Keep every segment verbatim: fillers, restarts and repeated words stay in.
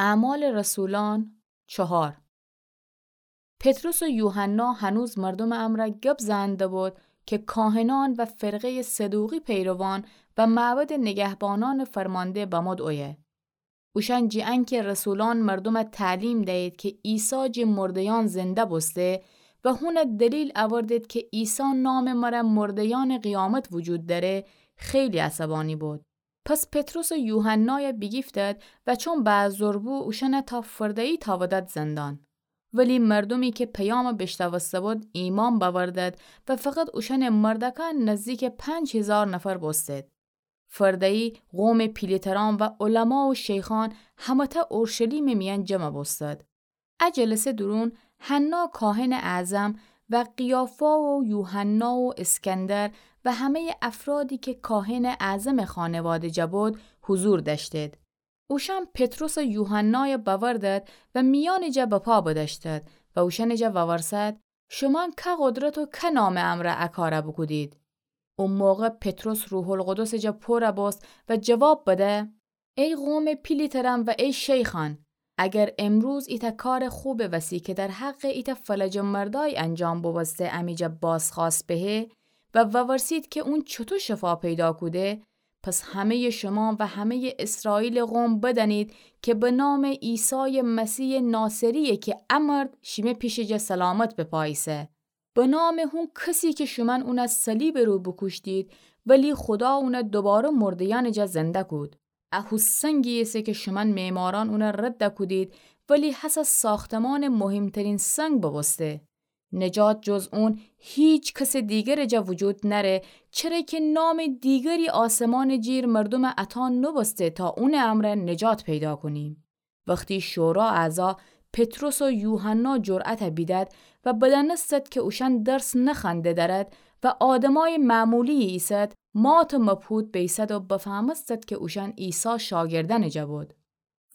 اعمال رسولان چهار. پطرس و یوحنا هنوز مردومٚ امرأ گب زنده بود که کاهنان و فرقهٔ صدوقی پیروان و معبدٚ نگهبانأنٚ فرمانده بمود اویه. اوشأن جی انکه رسولأن مردومَ تعلیم دیید که عیسی جٚه مرده‌یأن زنده بوسته و هونَ دلیل اوردید که عیسی نامٚ مره مرده‌یأنٚ قیامت وجود دأره، خیلی عصبانی بود. پس پطرس و یوحنایَ بیگیفتد و چون بعذر بو اوشأنَ تا فرده‌یی تاودد زندان. ولی مردومی که پیامَ بیشنوسته بود ایمأن بأوردد و فقط اوشأنٚ مردأکان نزدیکٚ پنج هیزار نفر بوستید. فرده‌یی قومٚ پیله‌ترأن و علما و شیخأن همه‌تأ اورشلیمٚ میأن جمع بوستد. ا جلسه دورون حنا کاهنٚ اعظم و قیافا و یوحنا و اسکندر و همه‌یٚ افرادی که کاهنٚ اعظمٚ خانواده جا بود حضور دأشتید. اوشأن پطرس و یوحنایَ بأوردد و میأنٚ جا بپا بدأشتد و اوشأنٚ جا وورسد: شومأن که قدرت و که نامٚ امرأ ا کارَ بوکودید؟ او موقع پطرس روح‌القدسٚ جا پورَ بوست و جواب بده: ای قومٚ پیله‌ترأن و ای شیخأن، اگر امروز ایتأ کارٚ خوبٚ وسی که در حقٚ ایتأ فلجٚ مردأی انجام بوبوسته امی جا بازخوأست بهه و وورسید که اون چوطو شفا پیدا کوده، پس همه‌یٚ شومأن و همه‌یٚ اسرائیلٚ قوم بدأنید که به نامٚ عیسایٚ مسیحٚ ناصری‌یه که ا مرد شیمه پیشٚ جا سلامت بپا ایسه. به نامٚ هون کسی که شومأن اونَ صلیبٚ رو بوکوشتید، ولی خودا اونَ دوباره مرده‌یأنٚ جا زنده کود. ا هو سنگی ایسه که شومأن معمارأن اونَ رد کودید، ولی هسه ساختمانٚ مهمترین سنگ بوبوسته. نجات جز اون هیچ کسٚ دیگرٚ جا وجود نأره، چره که نامٚ دیگری آسمانٚ جیر مردومَ عطا نوبوسته تا اونٚ امرأ نجات پیدا کونیم. وختی شورا اعضا پطرس و یوحنا جرأتَ بیدد و بدأنستد که اوشأن درس نخوأنده دأرد و آدمأیٚ معمولی‌یی ایسد، مات و مبهوت بیسد و بفهمستد که اوشأن عیسی شاگردأنٚ جا بود.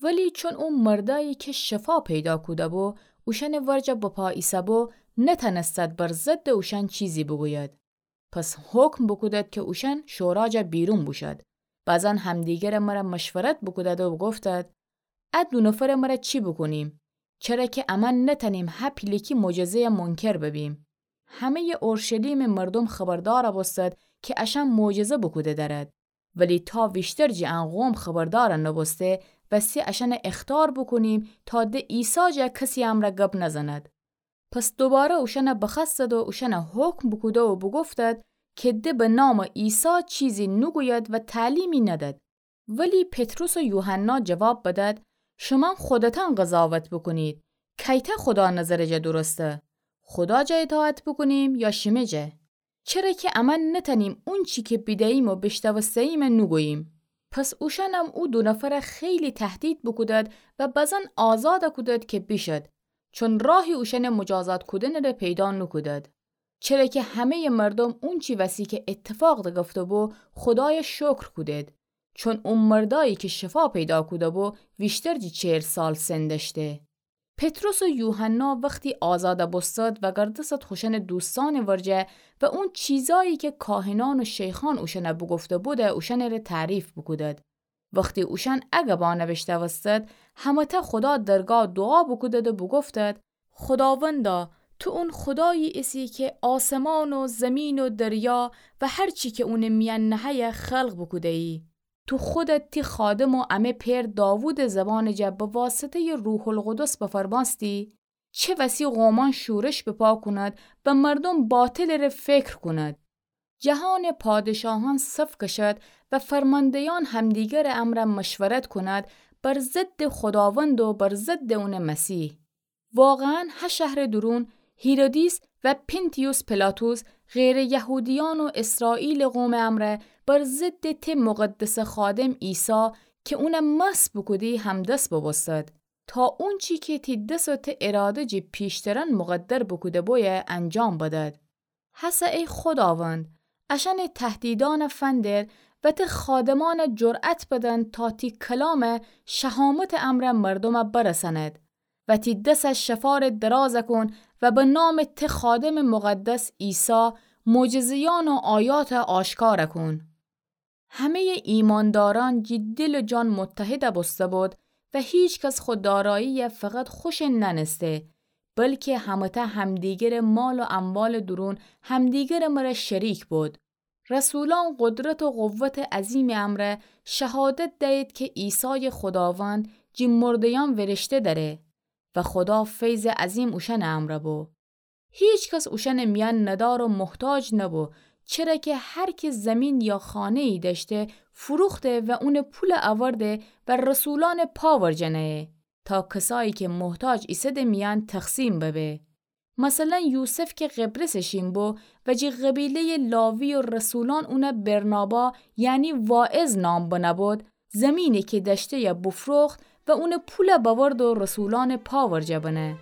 ولی چون او مردأیی که شفا پیدا کوده بو اوشأنٚ ورجه بپا ایسه بو، نتأنستد بر ضدٚ اوشأن چیزی بوگوید. پس حکم بوکودد که اوشأن شورا جا بیرون بوشد. بعضاً همدیگرٚ مره مشورت بوکودد و بوگفتد: ا دو نفرٚ مره چی بوکونیم؟ چره که امأن نتأنیم ه پیلکی معجزه‌یَ منکر ببیم. همه‌یٚ اورشلیمٚ مردوم خبردار بوستد که اشأن معجزه بوکوده دأرد. ولی تا ویشتر جٚه ان قوم خبردار نوبوسته، وستی اشأنَ اخطار بوکونیم تا د عیسی جا کسی امرأ گب نزند. پس دوباره اوشأنَ بخوأستد و اوشأنَ حکم بوکوده و بوگفتد که د به نامٚ عیسی چیزی نوگوید و تعلیمی ندد. ولی پطرس و یوحنا جواب بدد: شومأن خودتأن قضاوت بوکونید، کیتأ خودا نظرٚ جا درسته؟ خودا جا اطاعت بوکونیم یا شیمه جا؟ چره که امأن نتأنیم اونچی که بیده‌ییم و بیشنوسته‌ییم نوگوییم. پس اوشأنم او دو نفرَ خیلی تهدید بوکودد و بعضاً آزاد کودد که بیشد، چون راهی اوشأنٚ مجازات کودنٚ ره پیدا نوکودد. چره که همه‌یٚ مردوم اونچی وسی که اتفاق دگفته بو، خودایَ شکر کودید، چون او مردأیی که شفا پیدا کوده بو، ویشتر جٚه چهل سال سن دأشته. پطرس و یوحنا وختی آزاد بوستد، وگردستد خوشأنٚ دوستأنٚ ورجه و اون چیزأیی که کاهنأن و شیخأن اوشأنَ بوگفته بوده، اوشأنٚ ره تعریف بوکودد. وختی اوشأن ا گبأنَ بیشنوستد، همه‌تأ خودا درگاه دوعا بوکودد و بوگفتد: خوداوندا، تو اون خودایی ایسی که آسمان و زمین و دریا و هر چی که اونٚ میأن نهه‌یه خلق بوکوده‌یی. تو خودت تی خادم و امه پئر داوودٚ زبانٚ جا به واسطه‌یٚ روح‌القدس بفرمأستی چه وسی قومأن شورش بپا کند و مردوم باطلٚ ره فکر کند. جهانٚ پادشاهأن صف کشد و فرمانده‌یأن همدیگرٚ امرأ مشورت کند بر ضدٚ خوداوند و بر ضدٚ اونٚ مسیح. واقعاً ه شهرٚ دورون هیرودیس و پنتیوس پیلاطس غیرٚ یهودیأن و اسرائیلٚ قومٚ امرأ بر ضدٚ ته مقدسٚ خادم عیسی که اونَ مسح بوکودی همدست بوبوستد، تا اونچی که تی دس و ته اراده جٚه پیشترأن مقدر بوکوده بویه انجام بدد. هسه ای خوداوند، اشأنٚ تهدیدأنَ فندر و ته خادمأنَ جرأت بدن تا تی کلامٚ شهامتٚ امرأ مردومَ برسأند و تی دسَ شفارٚ دراز کون و به نامٚ ته خادمٚ مقدس عیسی معجزه‌یأن و آیاتَ آشکار کون. همه‌یٚ ایماندارأن جٚه دل و جان متحد بوسته بود و هیکس خو داراییَ فقط خوشٚ نأنسته، بلکه همه‌تأ همدیگرٚ مال و اموالٚ دورون همدیگرٚ مرأ شریک بود. رسولأن قدرت و قوتٚ عظیمٚ امرأ شهادت دیید کی عیسایٚ خوداوند جٚه مرده‌یأن ویریشته دأره و خودا فیضٚ عظیم اوشأنٚ امرأ بو. هیکس اوشأنٚ میأن ندار و محتاج نبو، چره کی هر کی زمین یا خانه‌یی دأشته، فروخته و اونٚ پول اورده و رسولأنٚ پا ورجه نأیه، تا کسایی کی محتاج ایسه‌ده میأن تقسیم ببه. مثلا یوسف کی قبرسٚ شین بو و جٚه قبیله‌یٚ لاوی و رسولأن اونَ برنابا، یعنی واعظ نام بنه بود، زمینی کی دأشته‌یَ بوفروخت و اونٚ پولَ بأورد و رسولأنٚ پا ورجه بنه.